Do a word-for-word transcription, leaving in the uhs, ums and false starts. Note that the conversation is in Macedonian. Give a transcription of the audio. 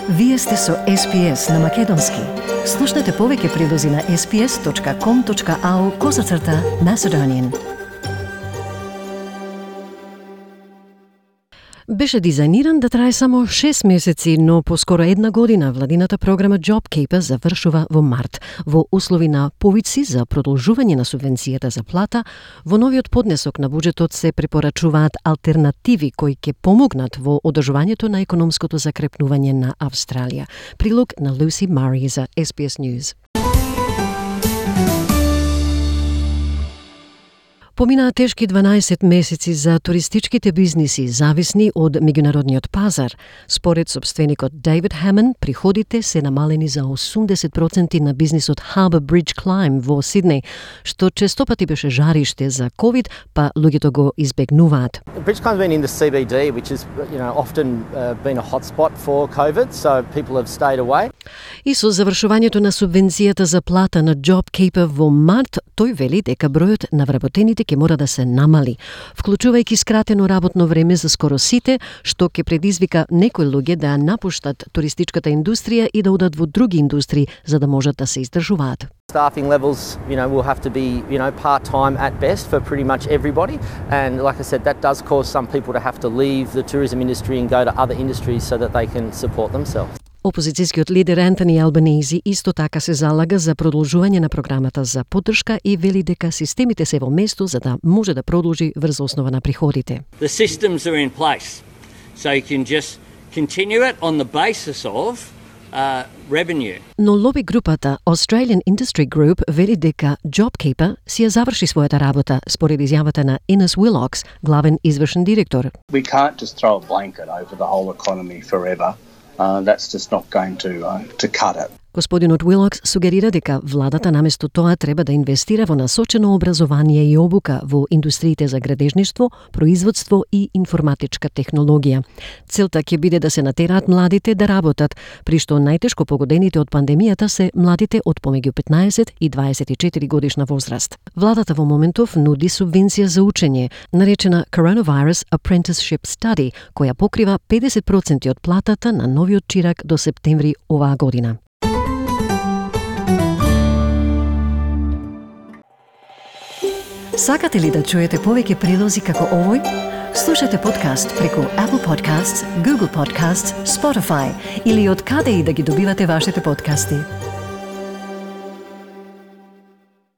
Вие сте со Ес Пи Ес на Македонски. Слушнете повеќе прилози на ес пи ес точка ком точка ау козацрта Macedonian. Беше дизајниран да трае само шест месеци, но по скоро една година владината програма JobKeeper завршува во март. Во услови на повици за продолжување на субвенцијата за плата, во новиот поднесок на буџетот се препорачуваат алтернативи кои ќе помогнат во одржувањето на економското закрепнување на Австралија. Прилог на Lucy Murray за Ес Пи Ес News. Поминаа тешки дванаесет месеци за туристичките бизниси зависни од меѓународниот пазар. Според собственикот Дейвид Хамон, приходите се намалени за осумдесет проценти на бизнисот Harbour Bridge Climb во Сиднеј, што честопати беше жариште за ковид, па луѓето го избегнуваат. Bridge Climb's been in the C B D, which is, you know, often uh, been a hotspot for COVID, so people have stayed away. И со завршувањето на субвенцијата за плата на JobKeeper во март, тој вели дека бројот на вработените ќе мора да се намали, вклучувајќи скратено работно време за скоро сите, што ќе предизвика некои луѓе да напуштат туристичката индустрија и да одат во други индустрии за да можат да се издржуваат. Staffing levels, you know, will have to be, you know, part-time at best for pretty much everybody. And like I said, that does cause some people to have to leave the tourism industry and go to other industries so that they can support themselves. Опозицијскиот лидер Ентони Албанези исто така се залага за продолжување на програмата за поддршка и вели дека системите се во место за да може да продолжи врз основа на приходите. The systems are in place, so you can just continue it on the basis of uh, revenue. Но лоби групата Australian Industry Group вели дека JobKeeper си ја заврши својата работа, според изјавата на Innes Willox, главен извршен директор. We can't just throw a blanket over the whole economy forever. Uh, that's just not going to uh, to cut it. Господинот Уилокс сугерира дека владата наместо тоа треба да инвестира во насочено образование и обука во индустриите за градежништво, производство и информатичка технологија. Целта ќе биде да се натераат младите да работат, при што најтешко погодените од пандемијата се младите од помеѓу петнаесет и дваесет и четири годишна возраст. Владата во моментов нуди субвенција за учење, наречена Coronavirus Apprenticeship Study, која покрива педесет проценти од платата на новиот чирак до септември оваа година. Сакате ли да чуете повеќе прилози како овој? Слушате подкаст преку Apple Podcasts, Google Podcasts, Spotify или од каде и да ги добивате вашите подкасти.